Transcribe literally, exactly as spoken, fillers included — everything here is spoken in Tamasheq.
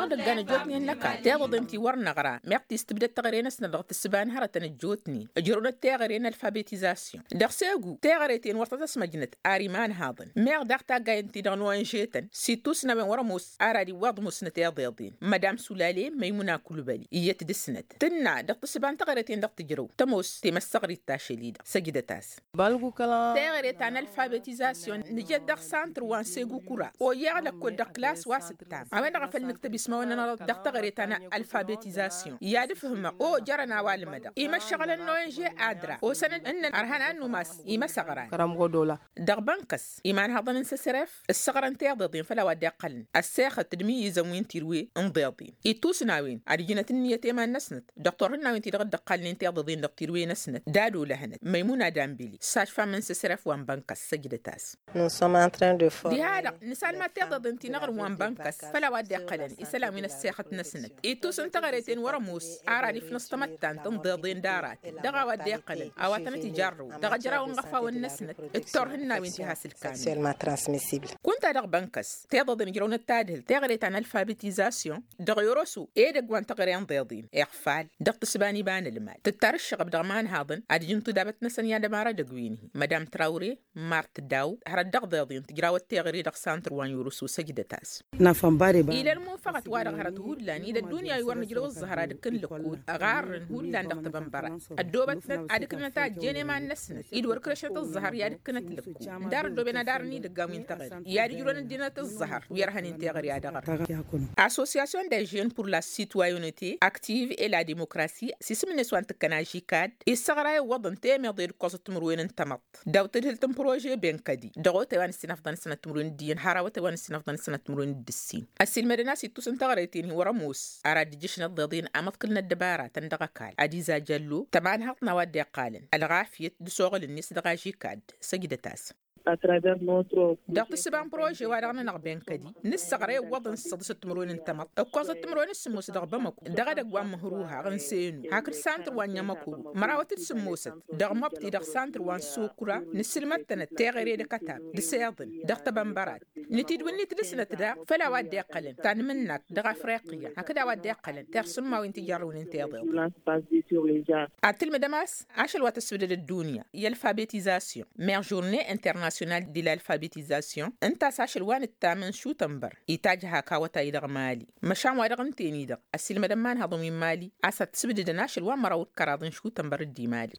Dăggan ăjjootnen n-ăkall tiḍăḍen ti wăr năɣra meɣ tistǝbdăd teɣăre-năsnăt dăɣ-tǝssǝba n-hărătăn ăjjootnen ǝjrăwnăt teɣăre n-alfabetizasyon. Dăɣ-segu teɣăre-ten wăr tăt-ăsmăjnăt ar imanhaḍăn meɣ daɣ taggayen-ti-dăɣ n-owanžetăn s-ittusnawen wăr-ămoos. Ar ad-iwwaḍ musnăt iḍeḍen madam sulale măymuna kulbăli iyyăt dăɣ-snăt tǝnna dăɣ-tǝssǝba n-teɣăre-ten dăɣ-tǝjrăw tămoos temăssăɣrit tašăl-i-dăɣ săjdăt-as. Teɣăre ta n-alfabetizasyon nǝjăd dăɣ-santr wa n-segu kura oyyeɣ lăkkol dăɣ-klas wa s-ǝttam a-wen-dăɣ a făl nǝktăb ismawăn-nănăɣ dăɣ-teɣăre ta n-alfabetizasyon i-ad-ǝfhǝmăɣ o jărăn a-wa ǝlmădăɣ imăššăɣǝlăn n-owanže adra osăn-dd ǝnnăn ărhăn ad-numas imăsăɣran. Dăɣ-bănkăs imanhăḍăn n-săsref ǝssăɣrăn tiḍeḍen făll-a-wa dd-iqqălăn ăssexăt d-imǝyyǝzăn wi n-tirwe n-iḍeḍen ittusnawen ad-ǝjnăt ǝnniyăt i-iman-năsnăt. Dăɣ-turhǝnnawen ti-dăɣ dd-ǝqqalnen tiḍeḍen dăɣ-tirwe-năsnăt d-ad-olăhănăt măymuna dambili s-ašfam n-săsref wa n-bănkăs săjdăt-as. Diha-dăɣ nǝsalmad tiḍeḍen ti n-aɣrǝm wa n-bănkăs făll-a-wa dd-iqqălăn isălan wi n-ăssexăt-năsnăt ittus n-teɣăre-ten wăr-ămoos. Ar ad-ifnǝẓ tamăttant n-iḍeḍen d-aratăn dăɣ-a-wa dd-iqqălăn a-wa tănăt-ijarrăw dăɣ-ejraw n-iɣăfawăn-năsnăt d-turhǝnnawen ti has-ǝlkanăn. Kunta dăɣ-bănkăs tiḍeḍen ǝjrăwnăt tadhǝlt teɣăre ta n-alfabetizasyon dăɣ-yoroso edăgg wa n-teɣăre n-iḍeḍen iɣfal dăɣ-tǝssǝba n-iba n-ălmal tǝttar ǝššăɣăb dăɣ-imanhaḍăn ad-ǝjǝn tudabăt-năsăn i-ad-ămar edăgg wi n-hi madam trawre mart daw hărăt dăɣ-iḍeḍen tǝjrawăt teɣăre dăɣ-santr wa n-yoroso săjdăt-as. Ila ălmunfăɣăt wa-dăɣ hărăt hullan ila ăddunya wi wăr nǝjrăw ǝẓẓăhăr ad-ǝkkǝn lăkkol ɣarrăn hullan dăɣ-tebănbărăt ăddoobătnăt ad-ǝknăt a ăjjeen i-iman-năsnăt-dd wăr kărešnăt ǝẓẓăhăr i-ad-ǝkkǝnăt lăkkol. Ǝndar ăddooben ad-arǝn idăggan wi n-teɣăre i-ad-ǝjrăwăn ăddinăt ǝẓẓăhăr wi ărhănen teɣăre ad-ăɣrăt. Association de jeune pour la citoyenneté active et la démocratie s-isǝm-net wa n-tǝkkăn ažikad issăɣra iwwăḍăn temeḍe d-ǝkkoẓăt timǝrwen n-tamăḍt daw-tadhǝlt n-prože benkădi dăɣ-otay wa n-ǝssinăfḍăn sănăt timǝrwen d-iyyăn har awătay wa n-ǝssinăfḍăn sănăt timǝrwen d-ǝssin. Ăssiilmădăn a-s ittus n-teɣăre-ten-hi wăr-ămoos ar ad-dd-ǝjjǝšna ăḍḍeḍen amăḍkǝl n-ăddăbaratăn dăɣ-ăkall ad-iza jăllo tămanhăḍt n-a-wa dd-iqqalăn ălɣafyăt d-asuɣǝl-net dăɣ-ažikad. Săjdăt-as. Dăɣ-tǝssǝba n-prože-wa-dăɣ-nănăɣ benkădi nǝssăɣra iwwăḍăn s-săḍǝsăt timǝrwen n-tamăḍt ǝkkoẓăt timǝrwen s-sǝmmos dăɣ-bamăko dăɣ-edăgg wa n-măhruha ɣǝnse-inu hakd santr wa n-inyămăkoro mărawăt d-sǝmmosăt dăɣ-mobti dăɣ-santr wa n-sokura. Nǝsǝlmăd-tănăt teɣăre d-akătab d-iseḍǝn dăɣ-tebănbărat nǝtidwǝnnit dăɣ-snăt daɣ făll-a-wa dd-iqqălăn ta n-imǝnnak dăɣ-afriqya hakd a-wa dd-iqqălăn tirsǝmma wi n-tijărrǝwnen tiḍeḍ. Ad-tǝlmǝdăm a-s ašăl wa tăssǝbdăd ăddunya i-alfabetizasyon meɣ žurnée internationale de l'alfabetizasyon ǝnta a-s ašăl wa nǝttam n-šutănbăr itajj hak awătay dăɣ-mali. Măšan wa dăɣ-ǝnten-i-dăɣ ăssiilmădăm imanhăḍăn wi n-mali a-s ad-t-sǝbdǝdăn ašăl wa n-măraw d-kăraḍ n-šutănbăr d-imali.